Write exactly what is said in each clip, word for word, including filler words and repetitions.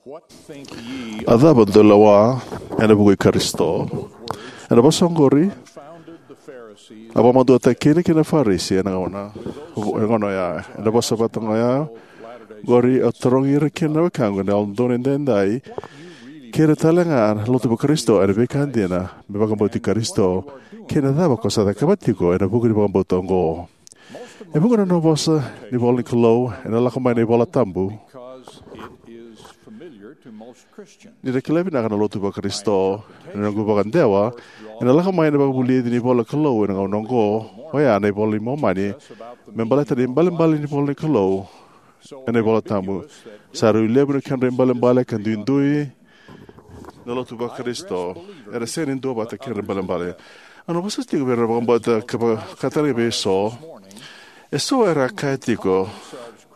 A cava dou lewa ena vuku i Karisito? Ena vosa oqori, a vakamaduataki kina kina Farisi ena gauna ena gauna oya. Ena vosa vata oya, qori au tarogi ira kina na wekaqu na Yalododonu Edaidai, kei ira talega na lotu vaKarisito, ena veika dina me vakabauti Karisito kei na cava ko sa cakava tiko ena vuku ni vakabauta oqo. E vuqa na nona vosa ni ivola ni Kalou ena lako mai na iVola Tabu. Ni ra kila vinaka na lotu vaKarisito, na noqu vakadewa ena lako mai na vakavulici ni ivola ni Kalou ena gauna oqo, oya na iVola i Momani, me baleta na ibalebale ni ivola ni Kalou ena iVola Tabu. Sa rui levu na kedra ibalebale ka duidui na lotu vaKarisito era sega ni duavata kei ira na ibalebale. Au na vosa tiko vei ira na vakabauta ka vakatale vei eso. Eso era kaya tiko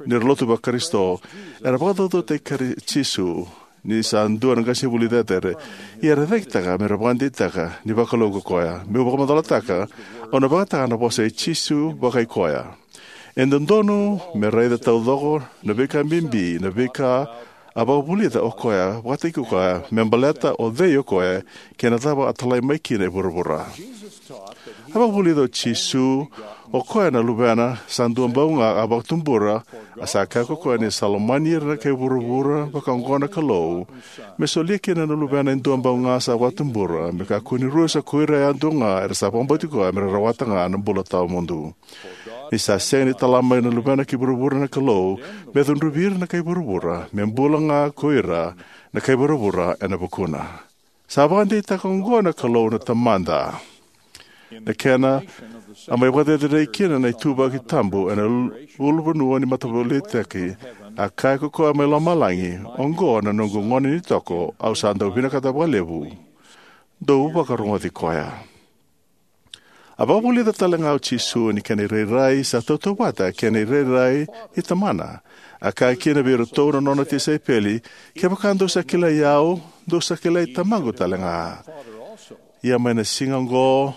ni ra lotu vaKarisito, era vakacaucautaki Kari- Jisu ni sa dua na qasenivuli cecere. Ia era cakitaka me ra vakadeitaka ni vakalou ko koya. Meu vakamacalataka, au na vakayagataka na vosa i Jisu vakaikoya. E dodonu me raica taucoko na veika bibi, na veika a vakavulica o koya, vakataki koya, me baleta o cei o koya, kei na cava a talai mai kina e vuravura. A vakavulica o Jisu, o koya na Luvena, sa dua bau ga a vakatubura, a sa kaya ko koya ni sa lomani ira na kai vuravura, vaka oqo na Kalou, me solia kina na Luvena e dua bau ga sa vakatubura, me kakua ni rusa ko ira yadua ga era sa vakabauti koya me ra rawata ga na bula tawamudu. Ni sa sega ni tala mai na Luvena ki vuravura na Kalou, me cudruvi ira na kai vuravura, me bula ga ko ira na kai vuravura ena vukuna. Sa vakadeitaka oqo na Kalou na Tamada. Na kena a mai vakacerecerei kina na ituvaki tabu ena ul- ulunivanua ni mataveiliutaki, a kaya ko koya mai lomalagi, oqo na noqu gone ni toko, au sa dau vinakata vakalevu. Dou vakarogoci koya. A vakavulica talega o Jisu ni kena irairai sa tautauvata kei na irairai i Tamana. A kaya kina vei iratou na nona tisaipeli, kevaka dou sa kilai au, dou sa kilai Tamaqu talega. Ia mai na siga oqo,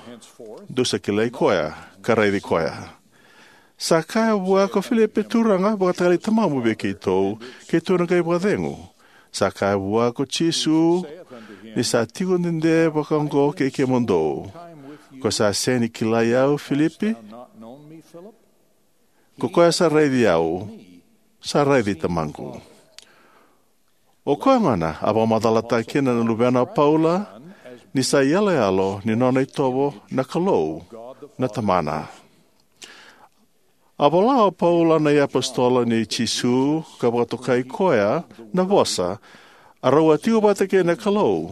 dou sa kilai koya, ka raici koya. Sa kaya vua ko Filipi, Turaga, vakatakilai Tamamu vei keitou, keitou na qai vakacegu. Sa kaya vua ko Jisu, ni sa tiko dede vaka oqo kei kemudou. Ko sa sega ni kilai au, Filipi? Ko koya sa raici au, sa raici Tamaqu. O koya gona a vakamacalataka kina na luvena o Paula, ni sa iyaloyalo ni nona itovo na Kalou na Tamana. A vola o Paula na iapositolo nei Jisu ka vakatokai koya na vosa, a rau a tiko vata kei na Kalou.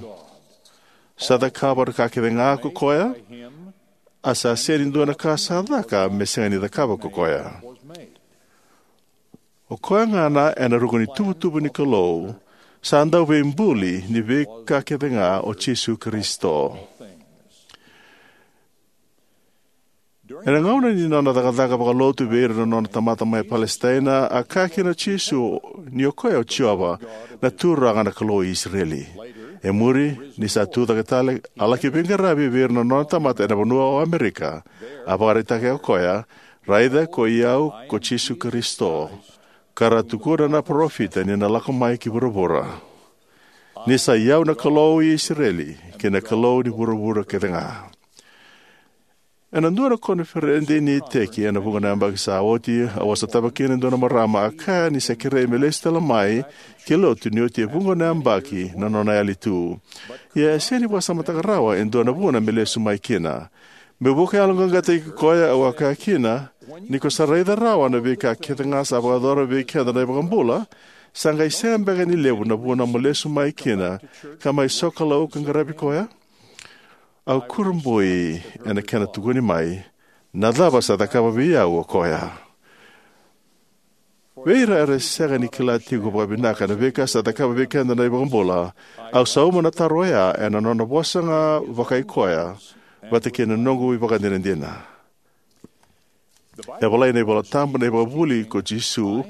Sa cakava na ka kece ga ko koya, a sa sega ni dua na ka sa caka me sega ni cakava ko koya. O koya gona ena ruku ni tuvatuva ni Kalou, sa dauveibuli ni veika kece ga o Jisu Karisito. Ena gauna ni nona cakacaka vakalotu vei ira na nona tamata mai Palesitaina, a kaya kina o Jisu ni o koya o Jiova, na Turaga na Kalou i Isireli. E muri, ni sa tucake tale, a laki veiqaravi vei ira na nona tamata ena vanua o Amerika. A vakaraitaka o koya, raica ko i au ko Jisu Karisito, ka ra tukuna na parofita ni na lako mai ki vuravura. Ni sa i au na Kalou i Isireli, kei na Kalou ni vuravura kece ga. Ena dua na koniferedi ni iteki ena vuqa na yabaki sa oti, au a sotava kina e dua na marama a kaya ni sa kerei me lesu tale mai ki lotu ni oti e vuqa na yabaki na nona yali tu. Ia e sega ni vakasamataka rawa e dua na vuna me lesu mai kina. Meu vakayaloqaqataki koya, au a kaya kina, ni ko sa raica rawa na veika kece ga sa vakayacora vei keda na iVakabula, sa qai sega beka ni levu na vuna mo lesu mai kina ka mai sokalou ka qaravi koya? Au kurabui ena kena tukuni mai, na cava sa cakava vei au o koya? Vei ira era sega ni kila tiko vakavinaka na veika sa cakava vei keda na iVakabula, au sauma na taro oya ena nona vosa ga vakaikoya, vata kei na noqu ivakadinadina. E volai ena iVolatabu na ivakavuvuli ko Jisu,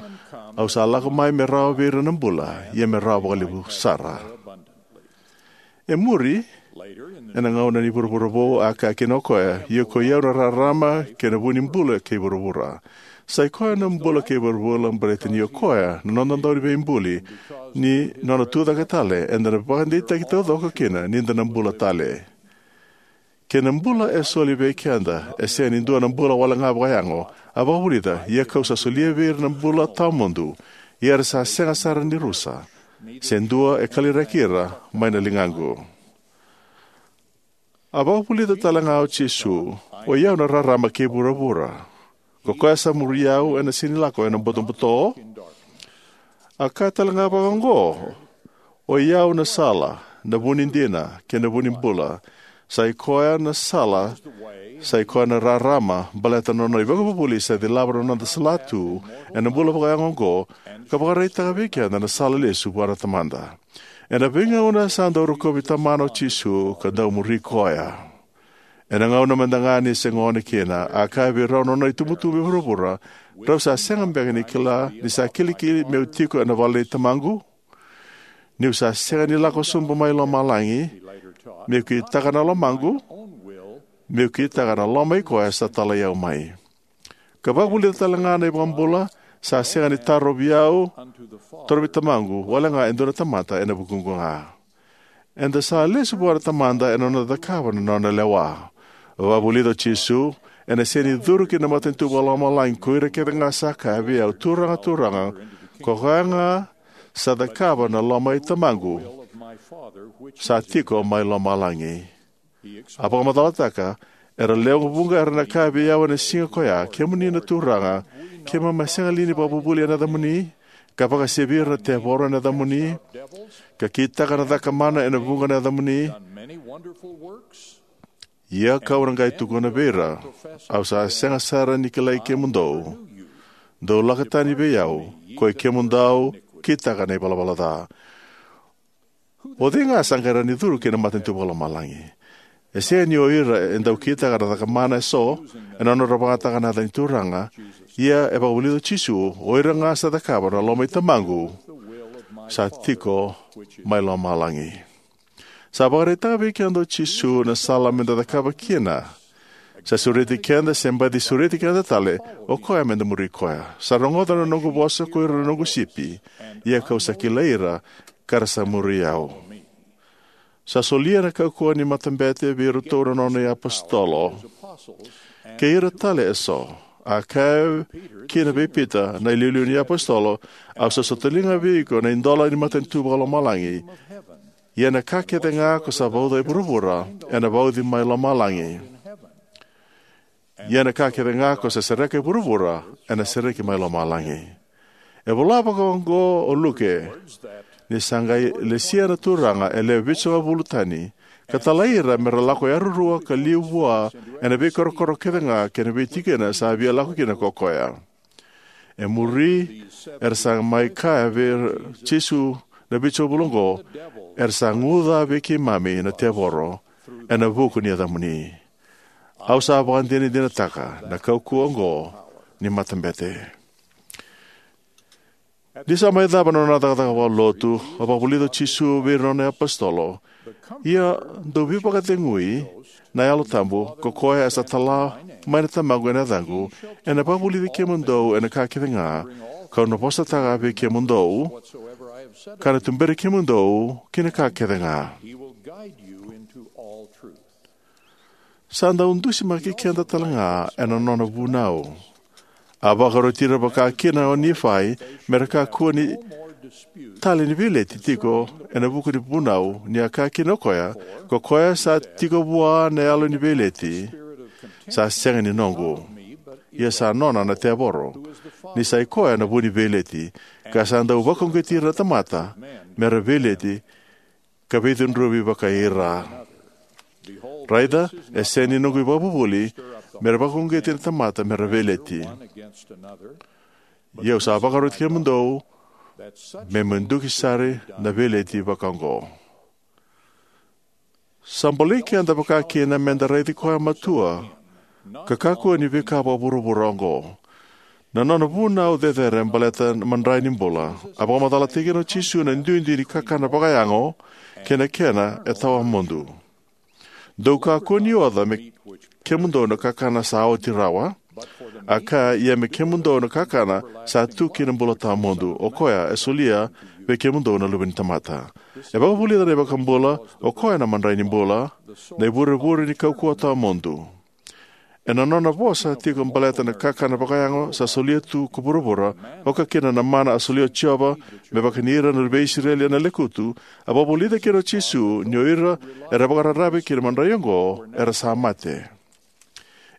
au sa lako mai me rawa vei ira na bula, ia me rawa vakalevu sara. E muri, ena gauna ni vuravura vou, a kaya kina o koya, ia ko i au na rarama kei na vu ni bula kei vuravura. Sai koya na bula kei vuravura baleta ni o koya na noda dauniveibuli, ni nona tucake tale eda na vakadeitaki taucoko kina ni da na bula tale. Kei na bula e soli vei keda e sega ni dua na bula wale ga vakayago, a vakavulica, ia ka'u sa solia vei ira na bula tawamudu, ia era sa sega sara ni rusa, se dua e kaliraki ira mai na ligaqu. A vakavulica tale ga o Jisu, o i au na rarama kei vuravura. Ko koya sa muri au ena sega ni lako ena butobuto. A kaya tale ga vakaoqo, o i au na sala, na vu ni dina, kei na vu ni bula. Sai koya na sala, sai koya na rarama, baleta na nona ivakavuvuli sa cilava na noda salatu ena bula vakayago oqo, ka vakaraitaka vei keda na sala lesu vua na Tamada. Ena veigauna sa dau rokovi Tamana o Jisu ka dau muri koya. Ena gauna mada ga ni se gone kina, a kaya vei rau na nona itubutubu e vuravura, drau sa sega beka ni kila ni sa kilikili me'u tiko ena vale nei Tamaqu? Ni'u sa sega ni lako sobu mai lomalagi, me'u kitaka na lomaqu, me'u kitaka na loma i koya sa talai au mai. Ka vakavulica tale ga na iVakabula, sa sega ni tarovi au, tarovi Tamaqu wale ga e dua na tamata ena vukuqu ga. Eda sa lesu vua na Tamada ena noda cakava na nona lewa. Vakavulica o Jisu, ena sega ni curu ki na matanitu vakalomalagi ko ira kece ga sa kaya vei au, Turaga, Turaga, ko koya ga sa cakava na loma i Tamaqu sa tiko mai lomalagi. A vakamacalataka, era lewe vuqa era na kaya vei au ena siga koya, kemuni na Turaga, keimami a sega li ni vakavuvuli ena yacamuni, ka vakasevi ira na tevoro ena yacamuni, ka kitaka na caka mana ena vuqa na yacamuni? Ia ka'u na qai tukuna vei ira, au sa sega sara ni kilai kemudou. Dou lako tani vei au, koi kemudou kitaka na ivalavala ca. O cei ga sa qai rawa ni curu ki na matanitu vakalomalagi? E sega ni o ira e dau kitaka na caka mana eso ena nodra vakayagataka na yaca ni Turaga, ia e vakavulica o Jisu, o ira ga sa cakava na loma i Tamaqu sa tiko mai lomalagi. Sa vakaraitaka vei keda o Jisu na sala meda cakava kina. Sa sureti keda se baci sureti keda tale o koya meda muri koya. Sa rogoca na noqu vosa ko ira na noqu sipi, ia ka'u sa kilai ira, ka ra sa muri au. Sa solia na kaukauwa ni matabete vei iratou na nona iapositolo kei ira tale eso. A kaya kina vei Pita na iliuliu ni iapositolo, au sa sotaliga vei iko na idola ni matanitu vakalomalagi. Ia na ka kece ga ko sa vauca e vuravura ena vauci mai lomalagi. Ia na ka kece ga ko sa sereka e vuravura ena sereki mai lomalagi. E vola vakaoqo o Luke, ni sa qai lesia na Turaga e lewe vitusagavulu tani, ka talai ira me ra lako yarurua ka liu vua ena veikorokoro kece ga kei na veitikina sa via lako kina ko koya. E muri, era sa mai kaya vei Jisu na vitusagavulu oqo, era sa guca vei keimami na tevoro ena vuku ni yacamuni. Au sa vakadinadinataka na kaukauwa oqo ni matabete. Ni sa mai cava na nona cakacaka vakalotu, a vakavulica o Jisu vei ira na nona iapositolo, ia dou veivakacegui na Yalo Tabu, ko koya e sa tala mai na Tamaqu ena yacaqu, ena vakavulici kemudou ena ka kece ga ka'u na vosataka vei kemudou, ka na tuberi kemudou ki na ka kece ga. Sa dau dusimaki keda tale ga ena nona vunau. A vakaroti ira vakakina o Nifai me ra kakua ni tale ni veileti tiko ena vuku ni vunau, ni a kaya kina o koya, ko koya sa tiko vua na yalo ni veileti, sa sega ni noqu, ia sa nona na tevoro, ni sa i koya na vu ni veileti, ka sa dau vakauqeti ira na tamata me ra veileti, ka veicudruvi vakai ira. Raica, e sega ni noqu ivakavuvuli me ra vakauqeti na tamata me ra veileti. Ia au sa vakaroti kemudou me muduki sara na veileti vakaoqo. Sa bolei keda vakakina meda raici koya matua ka kakua ni veika vakavuravura oqo. Na nona vunau cecere baleta na madrai ni bula, a vakamacalataki kina o Jisu na duidui ni kakana vakayago kei na kena e tawamudu. Dou kakua ni oca me kemudou na kakana sa oti rawa, A kaya, ia me kemudou na kakana sa tu ki na bula tawamudu. O koya e solia vei kemudou na Luve ni tamata. E vakavulica na iVakabula, o koya na madrai ni bula, na ivurevure ni kaukauwa tawamudu. Ena nona vosa tiko baleta na kakana vakayago sa solia tu ko vuravura, oka kina na mana a solia o Jiova me vaka ni ira na luve i Isireli ena lekutu, a vakavulica kina o Jisu ni o ira era vakararavi ki na madrai oqo era sa mate.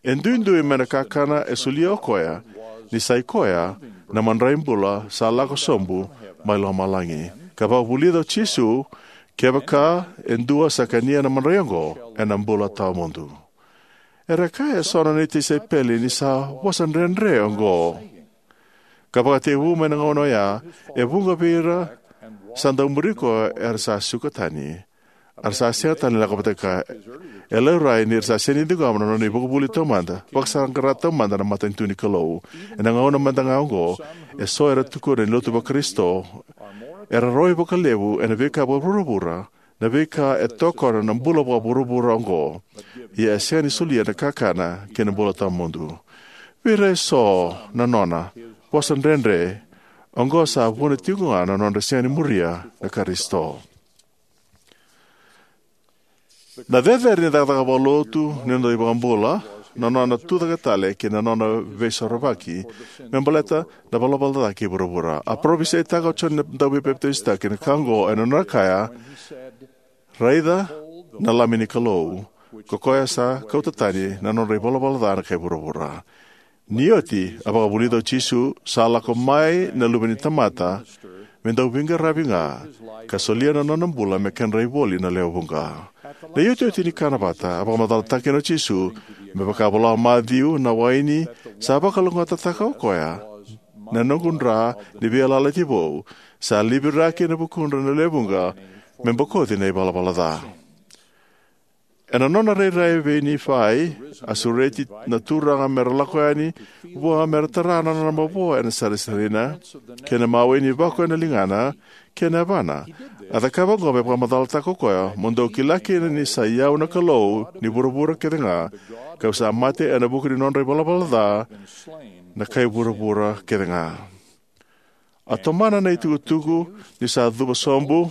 E duidui mai na kakana e solia o koya, ni sa i koya na madrai bula sa lako sobu mai lomalagi. Ka vakavulica o Jisu, kevaka e dua sa kania na madrai oqo, ena bula tawamudu. Era kaya eso na nona tisaipeli ni sa vosa dredre oqo. Ka vakatekivu mai na gauna oya, e vuqa vei ira sa dau muri koya era sa suka tani. Era sa sega tale ni lako vata kaya. E laurai ni ra sa sega ni ciqoma na nona ivakavuvuli taumada, vakasaqara taumada na matanitu ni Kalou. Ena gauna mada ga oqo, eso era tukuna ni lotu vaKarisito era roi vakalevu ena veika vakavuravura, na veika e tokona na bula vakavuravura oqo. Ia e sega ni solia na kakana kei na bula tawamudu. Vei ira eso na nona vosa dredre oqo sa vuna tiko ga na nodra sega ni muria na Karisito. Na cecere ni cakacaka vakalotu ni noda iVakabula, na nona tucake tale kei na nona veisorovaki me baleta na valavala ca kei vuravura. A parofisaitaka o Joni na Dauveipapitaisotaki na ka oqo ena nona kaya, raica na Lami ni Kalou, ko koya sa kauta tani na nodra ivalavala ca na kai vuravura. Ni oti, a vakavulica o Jisu, sa lako mai na Luve ni tamata me dau veiqaravi ga, ka solia na nona bula me kedra ivoli na lewe vuqa. Na iotioti ni kana vata, a vakamacalataka kina o Jisu, me vaka vola o Maciu, na waini sa vakalougatataka o koya na noqu dra ni veiyalayalati vou, sa liviraki ena vukudra na lewe vuqa me bokoci na ivalavala ca. Ena nona rairai vei Nifai, a sureti na turaga me ra lako yani vua me ra tara na nona mavoa ena sarisarina, kei na mawe ni vako ena ligana, kei na yavana. A cakava oqo me vakamacalataka o koya, mo dou kila kina ni sa i au na Kalou ni vuravura kece ga, ka'u sa mate ena vuku ni nodra ivalavala ca na kai vuravura kece ga. A tomana na itukutuku ni sa cuva sobu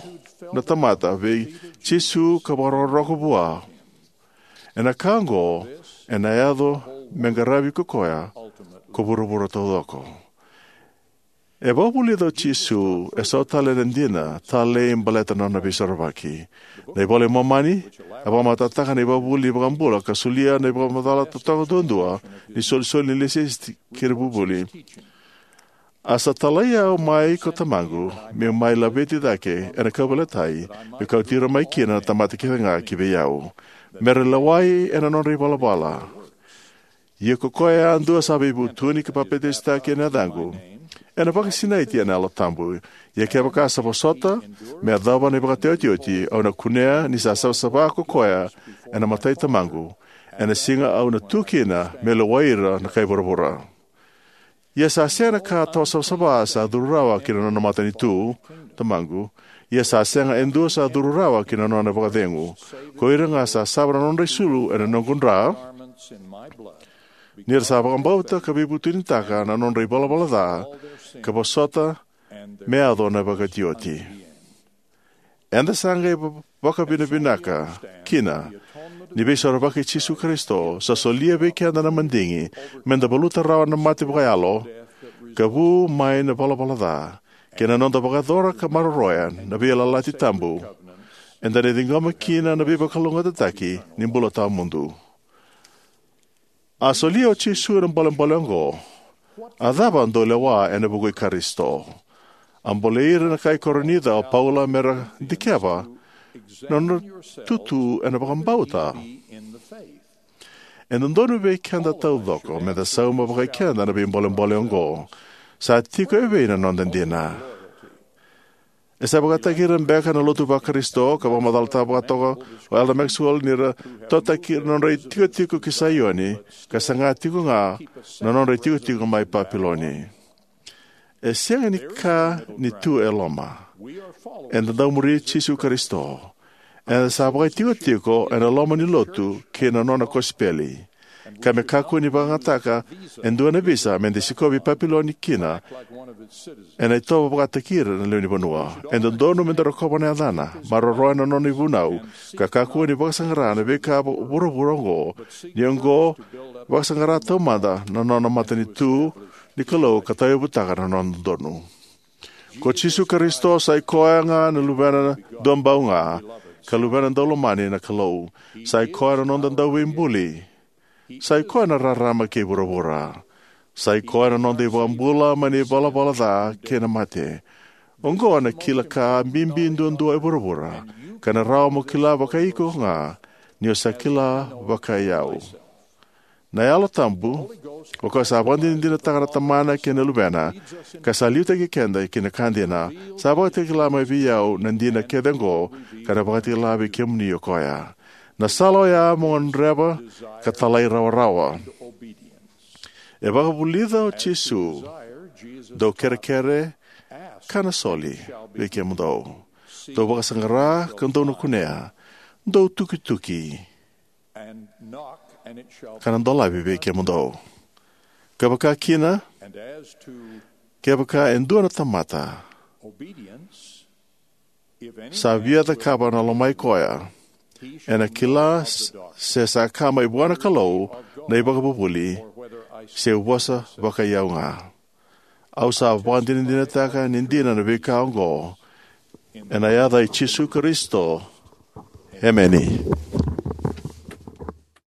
na tamata vei Jisu ka vakarokoroko vua. Ena ka oqo, ena yaco me qaravi ko koya ko vuravura taucoko. E vakavulica o Jisu eso tale na dina talei baleta na nona veisorovaki. Na iVola i Momani e vakamatatataka na ivakavuvuli ni iVakabula ka solia na ivakamacala totoka duadua ni isolisoli ni ilesilesi kei na vuvuli. A sa talai au mai ko Tamaqu, me'u mai laveti cake ena kauveilatai, me'u kauti ira mai kina na tamata kece ga ki vei au, me ra lewai ena nodra ivalavala. Ia ko koya yadua sa veivutuni ka papitaisotaki ena yacaqu, ena vakasinaiti ena Yalo Tabu. Ia kevaka sa vosota me yacova na ivakataotioti, au na kunea ni sa savasava ko koya ena mata i Tamaqu, ena siga au na tu kina me lewai ira na kai vuravura. Ia sa sega na ka tawa savasava sa curu rawa ki na nona matanitu, Tamaqu. Ia sa sega e dua sa curu rawa ki na nona vakacegu. Ko ira ga sa sava na nodra isulu ena noqu dra, ni ra sa vakabauta ka veivutunitaka na nodra ivalavala ca, ka vosota me yaco na ivakataotioti. Eda sa qai vakavinavinaka kina ni veisorovaki i Jisu Karisito sa solia vei keda na madigi me da valuta rawa na mate vakayalo ka vu mai na valavala ca, kei na noda vakayacora ka maroroya na veiyalayalati tabu eda na ciqoma kina na veivakalougatataki ni bula tawamudu. A solia o Jisu na bolebole oqo. A cava dou lewa ena vuku i Karisito? A bolei ira na kai Korinica o Paula me ra dikeva na nodra tutu ena vakabauta. E dodonu vei keda taucoko me da sauma vakaikeda na veibolebole oqo. Sa tiko e vei na noda dina? E sa vakataki ira beka na lotu vaKarisito ka vakamacalataka vakatoka o Elder Maxwell ni ra totaki ira na nodra itikotiko ki Saioni, ka saga tiko ga na nodra itikotiko mai Papiloni. E sega ni ka ni tu e loma. Eda dau muri Jisu Karisito. Eda sa vakaitikotiko ena loma ni lotu kei na nona kosipeli. ka me kakua ni vakayagataka e dua na visa me da sikovi Papiloni kina, ena itovo vakataki ira na lewe ni vanua. E dodonu me da rokova na yacana, maroroya na nona ivunau, ka kakua ni vakasaqara na veika vu- vuravura oqo, ni oqo vakasaqara taumada na nona matanitu ni Kalou ka tauyavutaka na nona dodonu. Ko Jisu Karisito sa i koya ga na luvena duabau ga, ka luvena daulomani na Kalou. Sa i koya na noda dauveibuli. Sa i koya na rarama kei vuravura. Sa i koya na noda iVakabula mai na ivalavala ca kei na mate. Oqo na kila ka bibi duadua e vuravura, ka na rawa mo kila vakaiko ga, ni o sa kila vakaiyau. Na Yalo Tabu, o koya sa vakadinadinataka na Tamana kei na Luvena, ka sa liutaki keda ki na ka dina, sa vakatakila mai vei au na dina kece oqo, ka na vakatakila vei kemuni o koya. Na sala oya mo gadreva ka talairawarawa. E vakavulica o Jisu, dou kerekere ka na soli vei kemudou. Dou vakasaqara ka dou na kunea. Dou tukituki ka na dolavi vei kemudou. Kevaka kina, kevaka e dua na tamata sa via cakava na lomai koya, ena kila s- se sa ka mai vua na Kalou na ivakavuvuli, se vosa vakaiyau ga. Au sa vakadinadinataka ni dina na veika oqo, ena yaca i Jisu Karisito. Emeni.